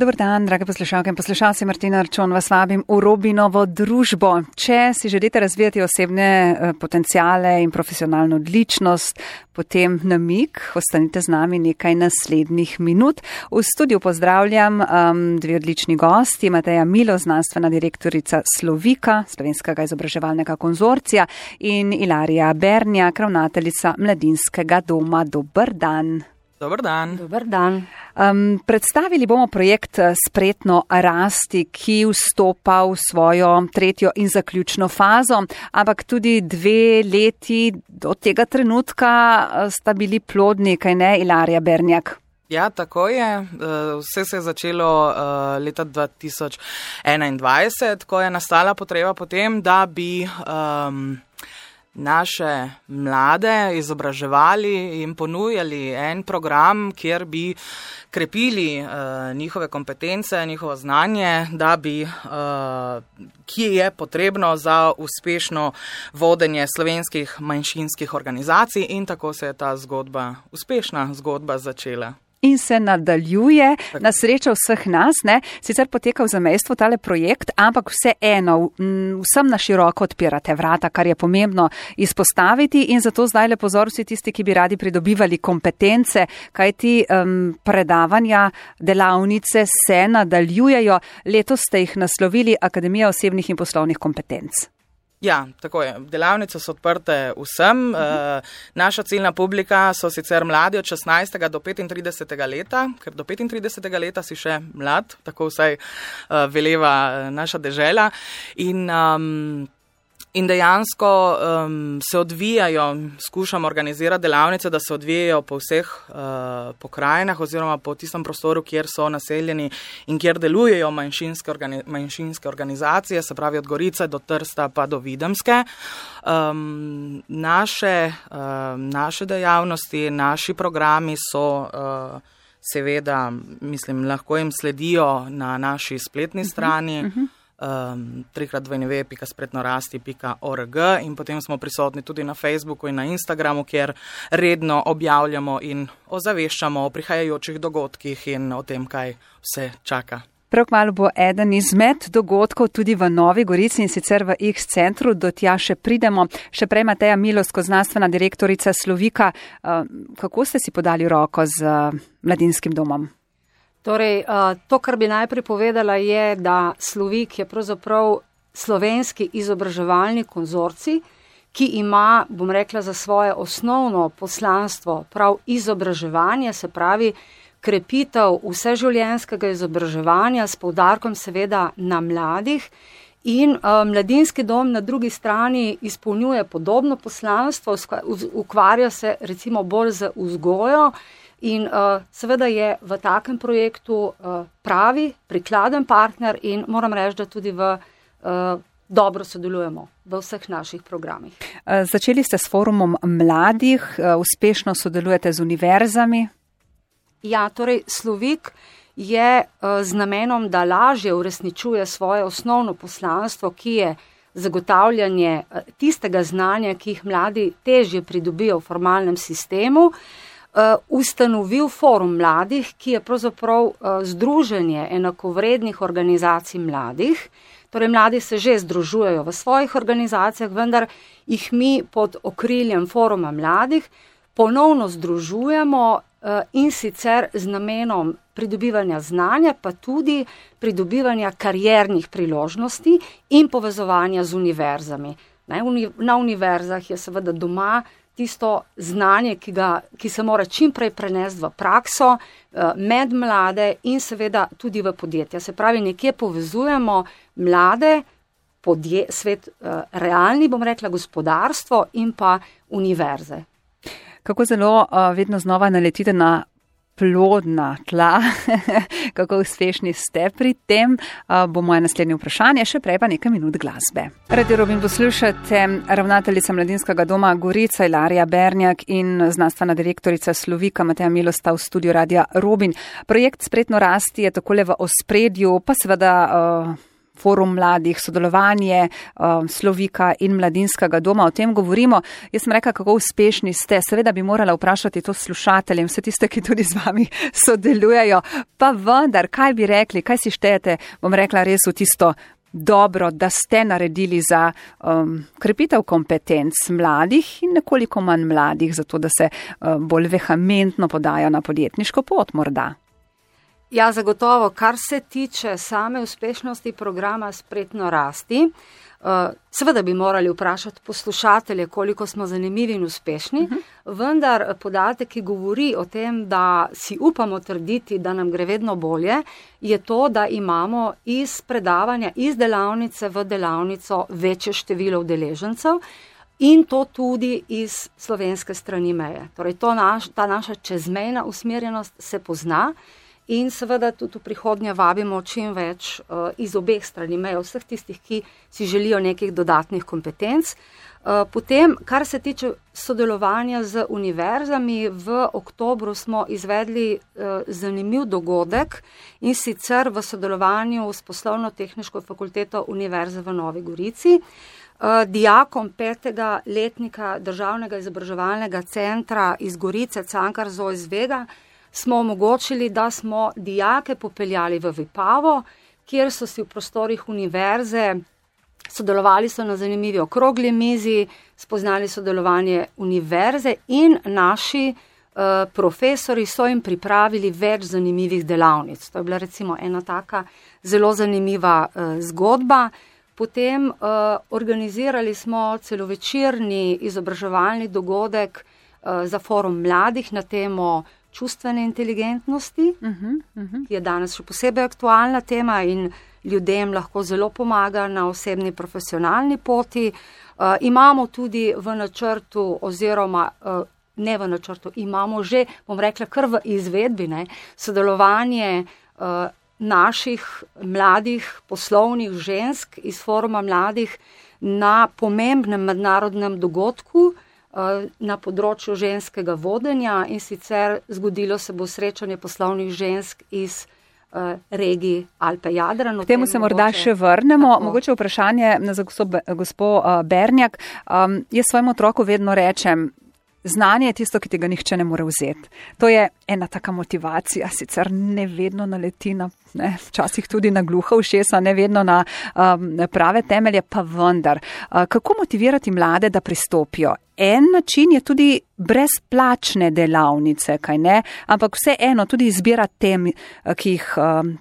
Dobar dan, drage poslušalke in poslušalci, Martina Arčon vas vabim v Robinovo družbo. Če si želite razvijati osebne potenciale in profesionalno odličnost, potem namig, ostanite z nami nekaj naslednjih minut. V studiu pozdravljam dve odlični gosti, Mateja Milo, znanstvena direktorica Slovika, Slovenskega izobraževalnega konzorcija, in Ilarija Bernjak, ravnateljica Mladinskega doma. Dober dan. Dobar dan. Dobar dan. Predstavili bomo projekt Spretno rasti, ki vstopa v svojo tretjo in zaključno fazo, ampak tudi 2 leti do tega trenutka sta bili plodni, kaj ne, Ilarija Bernjak? Ja, tako je. Vse se je začelo leta 2021, ko je nastala potreba potem, da bi naše mlade izobraževali in ponujali en program, kjer bi krepili njihove kompetence, njihovo znanje, da bi, ki je potrebno za uspešno vodenje slovenskih manjšinskih organizacij, in tako se je ta zgodba, uspešna zgodba začela. In se nadaljuje na srečo vseh nas, ne? Sicer poteka v zamejstvu tale projekt, ampak vseeno vsem na široko odpirate vrata, kar je pomembno izpostaviti, in zato zdaj le pozor vsi tisti, ki bi radi pridobivali kompetence, kajti predavanja, delavnice se nadaljujejo. Letos ste jih naslovili Akademija osebnih in poslovnih kompetenc. Ja, tako je. Delavnice so odprte vsem. Naša ciljna publika so sicer mladi od 16. do 35. leta, ker do 35. leta si še mlad, tako vsaj veleva naša dežela. In dejansko se odvijajo, skušamo organizirati delavnice, da se odvijajo po vseh pokrajinah oziroma po tistem prostoru, kjer so naseljeni in kjer delujejo manjšinske organizacije, se pravi od Gorice do Trsta pa do Videmske. Naše dejavnosti, naši programi so seveda, mislim, lahko jim sledijo na naši spletni strani. www.spretnorasti.org in potem smo prisotni tudi na Facebooku in na Instagramu, kjer redno objavljamo in ozaveščamo o prihajajočih dogodkih in o tem, kaj vse čaka. Prav kmalu bo eden izmed dogodkov tudi v Novi Gorici, in sicer v X centru, do tja še pridemo. Še prej Mateja Milo, znanstvena direktorica Slovika. Kako ste si podali roko z mladinskim domom? Torej, to, kar bi najprej povedala, je, da Slovik je pravzaprav slovenski izobraževalni konzorcij, ki ima, bom rekla, za svoje osnovno poslanstvo prav izobraževanje, se pravi krepitev vseživljenjskega izobraževanja s poudarkom seveda na mladih. In mladinski dom na drugi strani izpolnjuje podobno poslanstvo, ukvarja se recimo bolj z vzgojo. In seveda je v takem projektu pravi, prikladen partner in moram reči, da tudi dobro sodelujemo v vseh naših programih. Začeli ste s forumom mladih, uspešno sodelujete z univerzami? Ja, torej Slovik je z namenom, da lažje uresničuje svoje osnovno poslanstvo, ki je zagotavljanje tistega znanja, ki jih mladi težje pridobijo v formalnem sistemu, ustanovil forum mladih, ki je pravzaprav združenje enakovrednih organizacij mladih. Torej mladi se že združujejo v svojih organizacijah, vendar jih mi pod okriljem foruma mladih ponovno združujemo in sicer z namenom pridobivanja znanja, pa tudi pridobivanja kariernih priložnosti in povezovanja z univerzami. Na univerzah je seveda doma tisto znanje, ki se mora čim prej prenesti v prakso, med mlade in seveda tudi v podjetja. Se pravi, nekje povezujemo mlade, svet realni, bom rekla, gospodarstvo in pa univerze. Kako zelo vedno znova naletite na plodna tla, kako uspešni ste pri tem, bo moje naslednje vprašanje, še prej pa nekaj minut glasbe. Radio Robin poslušate, ravnateljica Mladinskega doma Gorica Ilarija Bernjak in znanstvena direktorica Slovika Mateja Milo sta v studiu Radia Robin. Projekt Spretno rasti je takole v ospredju, pa seveda forum mladih, sodelovanje Slovika in Mladinskega doma, o tem govorimo. Jaz sem rekla, kako uspešni ste. Seveda bi morala vprašati to slušateljem, vse tiste, ki tudi z vami sodelujejo. Pa vendar, kaj bi rekli, kaj si štejete, bom rekla res v tisto dobro, da ste naredili za krepitev kompetenc mladih in nekoliko manj mladih, zato da se bolj vehementno podajo na podjetniško pot morda? Ja, zagotovo, kar se tiče same uspešnosti programa Spretno rasti, seveda bi morali vprašati poslušatelje, koliko smo zanimivi in uspešni, vendar podatek, ki govori o tem, da si upamo trditi, da nam gre vedno bolje, je to, da imamo iz predavanja, iz delavnice v delavnico večje število udeležencev in to tudi iz slovenske strani meje. Torej, ta naša čezmejna usmerjenost se pozna. In seveda tudi v prihodnje vabimo čim več iz obeh strani meje, vseh tistih, ki si želijo nekih dodatnih kompetenc. Potem, kar se tiče sodelovanja z univerzami, v oktobru smo izvedli zanimiv dogodek in sicer v sodelovanju s Poslovno-tehniško fakulteto Univerze v Novi Gorici. Dijakom 5. letnika Državnega izobraževalnega centra iz Gorice, Cankar Zois Vega, smo omogočili, da smo dijake popeljali v Vipavo, kjer so si v prostorih univerze sodelovali so na zanimivi okrogli mizi, spoznali sodelovanje univerze in naši profesori so jim pripravili več zanimivih delavnic. To je bila recimo ena taka zelo zanimiva zgodba. Potem organizirali smo celovečerni izobraževalni dogodek za forum mladih na temo čustvene inteligentnosti, ki je danes še posebej aktualna tema in ljudem lahko zelo pomaga na osebni profesionalni poti. Imamo tudi v načrtu oziroma ne v načrtu, imamo že, bom rekla, kar v izvedbi, sodelovanje naših mladih poslovnih žensk iz foruma mladih na pomembnem mednarodnem dogodku na področju ženskega vodenja in sicer zgodilo se bo srečanje poslovnih žensk iz regiji Alpe-Jadran. K temu se morda še vrnemo. Tako. Mogoče vprašanje za gospo Bernjak. Jaz svojemu otroku vedno rečem, znanje je tisto, ki tega nihče ne more vzeti. To je ena taka motivacija, sicer ne vedno naleti na, včasih tudi na gluha ušesa, ne vedno na prave temelje, pa vendar. Kako motivirati mlade, da pristopijo? En način je tudi brezplačne delavnice, kaj ne? Ampak vseeno tudi izbira tem, ki jih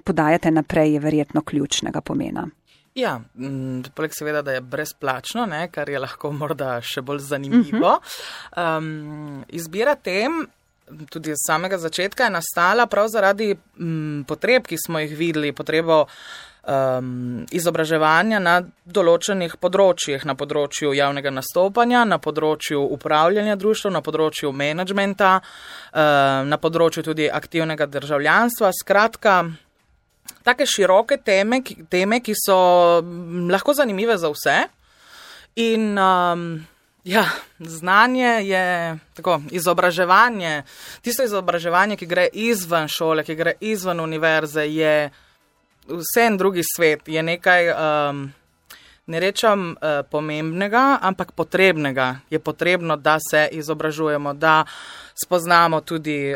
podajate naprej, je verjetno ključnega pomena. Ja, poleg seveda, da je brezplačno, kar je lahko morda še bolj zanimivo. Izbira tem, tudi z samega začetka, je nastala prav zaradi potreb, ki smo jih videli, potrebo izobraževanja na določenih področjih, na področju javnega nastopanja, na področju upravljanja društva, na področju menedžmenta, na področju tudi aktivnega državljanstva, skratka, take široke teme, ki so lahko zanimive za vse. In znanje je tako, izobraževanje, tisto izobraževanje, ki gre izven šole, ki gre izven univerze, je vse en drugi svet, je nekaj, ne rečem pomembnega, ampak potrebnega. Je potrebno, da se izobražujemo, da spoznamo tudi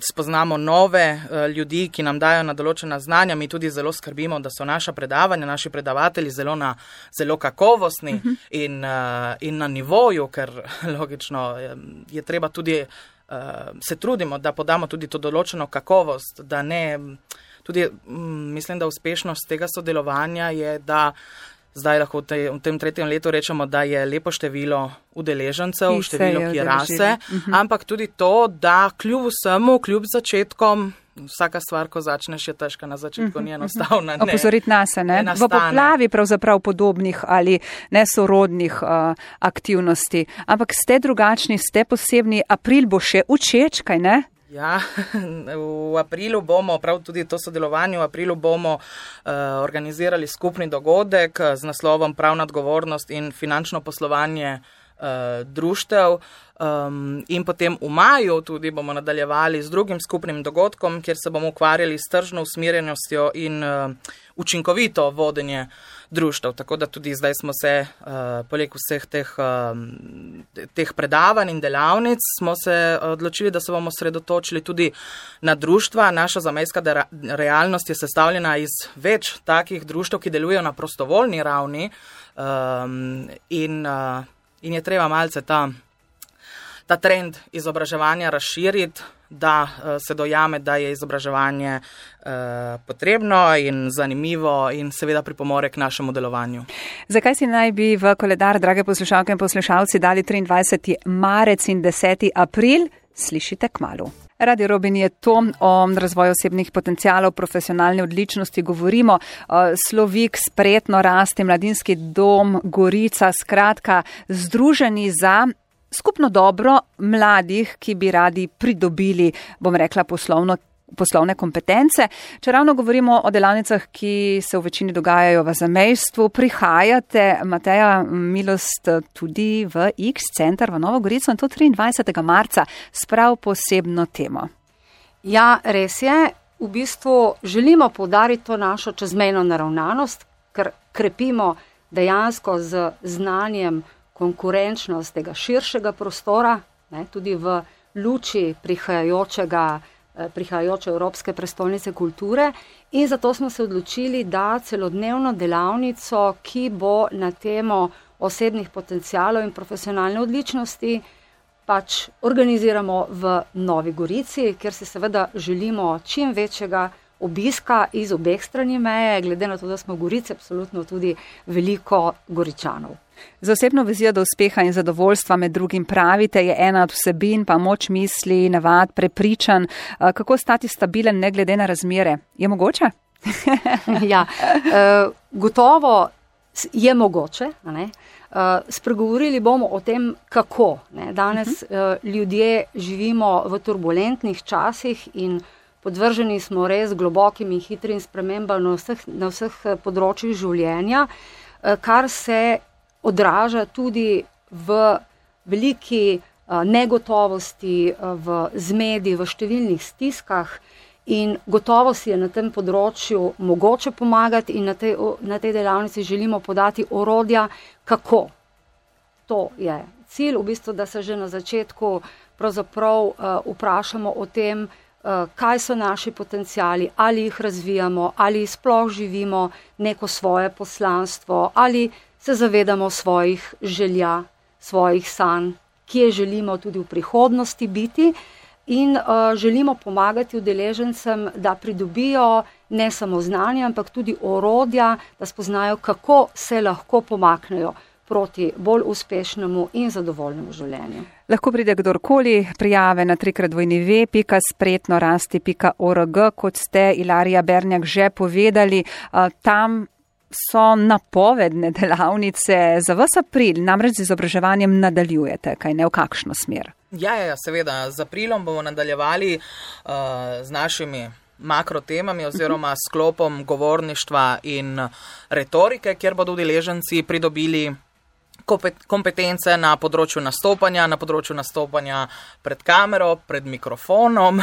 spoznamo nove ljudi, ki nam dajo na določena znanja. Mi tudi zelo skrbimo, da so naša predavanja, naši predavatelji zelo kakovostni in na nivoju, ker logično je treba tudi, se trudimo, da podamo tudi to določeno kakovost, da ne, tudi mislim, da uspešnost tega sodelovanja je, da zdaj lahko v tem 3. letu rečemo, da je lepo število udeležencev, število, ki raste, ampak tudi to, da kljub vsemu, kljub začetkom, vsaka stvar, ko začneš, je težka na začetku, ni enostavna. Opozoriti nas, v poplavi pravzaprav podobnih ali nesorodnih aktivnosti, ampak ste drugačni, ste posebni, april bo še učeč, kaj ne? Ja, v aprilu bomo, prav tudi to sodelovanje, v aprilu bomo organizirali skupni dogodek z naslovom Pravna odgovornost in finančno poslovanje društev. In potem v maju tudi bomo nadaljevali z drugim skupnim dogodkom, kjer se bomo ukvarjali s tržno usmerjenostjo in učinkovito vodenje društev. Tako da tudi zdaj smo se, poleg vseh teh predavanj in delavnic, smo se odločili, da se bomo sredotočili tudi na društva. Naša zamejska realnost je sestavljena iz več takih društev, ki delujejo na prostovoljni ravni in je treba malce ta trend izobraževanja razširiti, da se dojame, da je izobraževanje potrebno in zanimivo in seveda pripomore k našemu delovanju. Zakaj si naj bi v koledar, drage poslušalke in poslušalci, dali 23. marec in 10. april? Slišite kmalu. Radio Robin je to, o razvoju osebnih potencialov, profesionalne odličnosti govorimo. Slovik, Spretno rasti, Mladinski dom, Gorica, skratka, združeni za skupno dobro mladih, ki bi radi pridobili, bom rekla, poslovne kompetence. Če ravno govorimo o delavnicah, ki se v večini dogajajo v zamejstvu, prihajate, Mateja, Milost, tudi v X-center v Novo Gorico in to 23. marca s prav posebno temo. Ja, res je. V bistvu želimo poudariti to našo čezmejno naravnanost, ker krepimo dejansko z znanjem konkurenčnost tega širšega prostora, tudi v luči prihajajoče Evropske prestolnice kulture, in zato smo se odločili, da celodnevno delavnico, ki bo na temo osebnih potencialov in profesionalne odličnosti, pač organiziramo v Novi Gorici, kjer si seveda želimo čim večjega obiska iz obeh strani meje, glede na to, da smo v Gorici absolutno tudi veliko Goričanov. Z osebno vizijo do uspeha in zadovoljstva med drugim pravite, je ena od vsebin pa moč misli, navad, prepričan. Kako stati stabilen ne glede na razmere? Je mogoče? Ja, gotovo je mogoče. Spregovorili bomo o tem, kako. Danes ljudje živimo v turbulentnih časih in podvrženi smo res globokim in hitrim spremembam na vseh področjih življenja, kar se odraža tudi v veliki negotovosti, v zmedi, v številnih stiskah in gotovo si je na tem področju mogoče pomagati in na tej delavnici želimo podati orodja, kako. To je cilj, v bistvu, da se že na začetku pravzaprav vprašamo o tem, kaj so naši potenciali, ali jih razvijamo, ali sploh živimo neko svoje poslanstvo, ali se zavedamo svojih želja, svojih sanj, kje želimo tudi v prihodnosti biti in želimo pomagati udeležencem, da pridobijo ne samo znanje, ampak tudi orodja, da spoznajo, kako se lahko pomaknejo proti bolj uspešnemu in zadovoljnemu življenju. Lahko pride kdorkoli, prijave na www.spretnorasti.org, kot ste Ilarija Bernjak že povedali, tam so napovedne delavnice za vas april, namreč z izobraževanjem nadaljujete, kaj ne, v kakšno smer? Ja, seveda, z aprilom bomo nadaljevali z našimi makrotemami oziroma sklopom govorništva in retorike, kjer bodo udeleženci pridobili kompetence na področju nastopanja pred kamero, pred mikrofonom,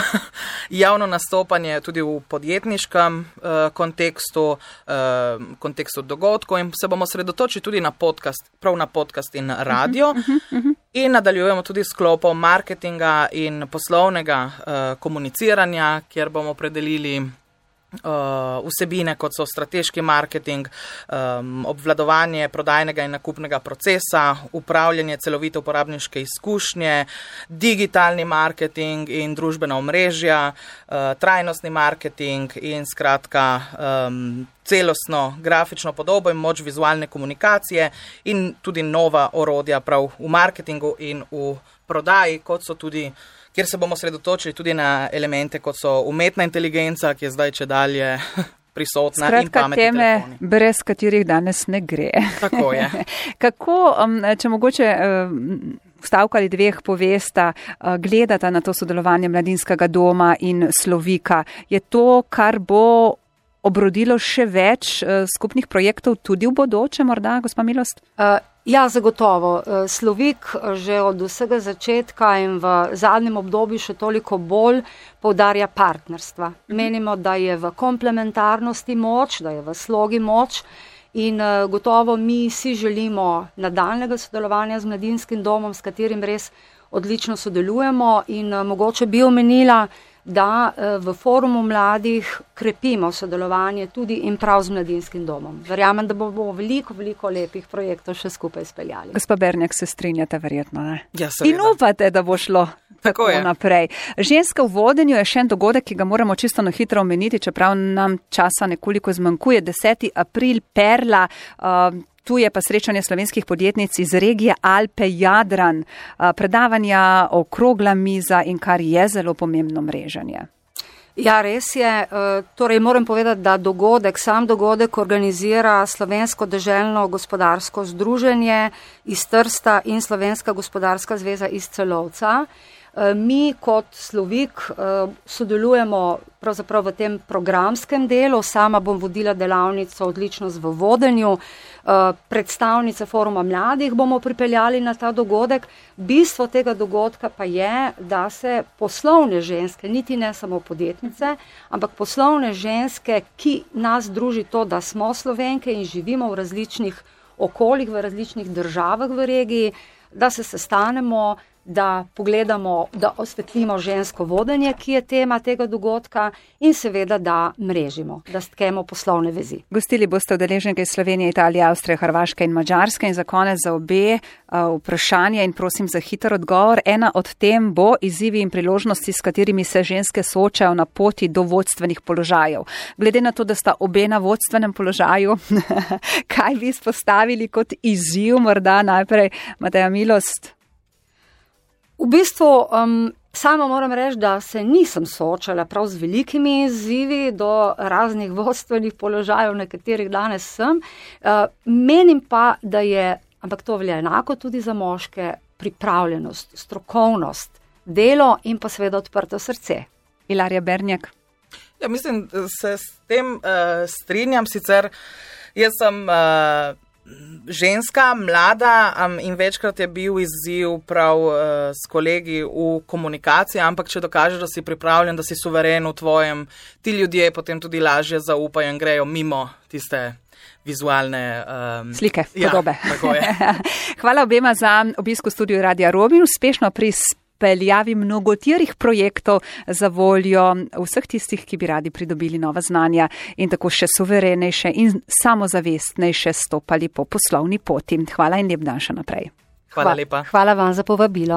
javno nastopanje tudi v podjetniškem kontekstu dogodkov in se bomo sredotočili tudi na podcast, prav na podcast in radio. In nadaljujemo tudi s sklopom marketinga in poslovnega komuniciranja, kjer bomo opredelili vsebine, kot so strateški marketing, obvladovanje prodajnega in nakupnega procesa, upravljanje celovite uporabniške izkušnje, digitalni marketing in družbena omrežja, trajnostni marketing in skratka celostno grafično podobo in moč vizualne komunikacije in tudi nova orodja prav v marketingu in v prodaji, kot so tudi, kjer se bomo sredotočili tudi na elemente, kot so umetna inteligenca, ki je zdaj čedalje prisotna. Skratka, in pametni teme, telefoni. Brez katerih danes ne gre. Tako je. Kako, če mogoče stavka ali dveh povesta, gledata na to sodelovanje Mladinskega doma in Slovika? Je to, kar bo obrodilo še več skupnih projektov tudi v bodoče, morda, gospa Milost? Ja, zagotovo. Slovik že od vsega začetka in v zadnjem obdobju še toliko bolj poudarja partnerstva. Menimo, da je v komplementarnosti moč, da je v slogi moč in gotovo mi si želimo nadaljnega sodelovanja z Mladinskim domom, s katerim res odlično sodelujemo in mogoče bi omenila, da v forumu mladih krepimo sodelovanje tudi in prav z Mladinskim domom. Verjamem, da bomo veliko lepih projektov še skupaj speljali. Gospa Bernjak, se strinjate verjetno, ne? Ja, seveda. In upate, da bo šlo tako naprej. Ženska v vodenju je še en dogodek, ki ga moramo čisto na hitro omeniti, čeprav nam časa nekoliko zmanjkuje. 10. april, Perla, tu je pa srečanje slovenskih podjetnic iz regije Alpe-Jadran, predavanja, okrogla miza in kar je zelo pomembno mreženje. Ja, res je. Torej, moram povedati, da sam dogodek organizira Slovensko deželno gospodarsko združenje iz Trsta in Slovenska gospodarska zveza iz Celovca. Mi kot Slovik sodelujemo pravzaprav v tem programskem delu. Sama bom vodila delavnico Odličnost v vodenju. Predstavnice foruma mladih bomo pripeljali na ta dogodek. Bistvo tega dogodka pa je, da se poslovne ženske, niti ne samo podjetnice, ampak poslovne ženske, ki nas druži to, da smo Slovenke in živimo v različnih okoljih, v različnih državah v regiji, da se sestanemo, da pogledamo, da osvetlimo žensko vodenje, ki je tema tega dogodka in seveda, da mrežimo, da stkemo poslovne vezi. Gostili boste udeleženke iz Slovenije, Italije, Avstrije, Hrvaške in Madžarske in za konec za obe vprašanje in prosim za hiter odgovor. Ena od tem bo izzivi in priložnosti, s katerimi se ženske soočajo na poti do vodstvenih položajev. Glede na to, da sta obe na vodstvenem položaju, kaj bi izpostavili kot izziv, morda najprej Mateja Milost? V bistvu sama moram reči, da se nisem soočala prav z velikimi izzivi do raznih vodstvenih položajev, na katerih danes sem. Menim pa, da je, ampak to velja enako tudi za moške, pripravljenost, strokovnost, delo in pa seveda odprto srce. Ilarja Bernjak. Ja, mislim, da se s tem strinjam, sicer jaz sem ženska, mlada in večkrat je bil izziv prav s kolegi v komunikaciji, ampak če dokažeš, da si pripravljen, da si suveren v tvojem, ti ljudje potem tudi lažje zaupajo in grejo mimo tiste vizualne slike, podobe. Ja, tako je. Hvala obema za obisk v studiu Radia Robin, uspešno pri peljavi mnogotirih projektov za voljo vseh tistih, ki bi radi pridobili nova znanja in tako še suverenejše in samozavestnejše stopali po poslovni poti. Hvala in lep dan še naprej. Hvala lepa. Hvala vam za povabilo.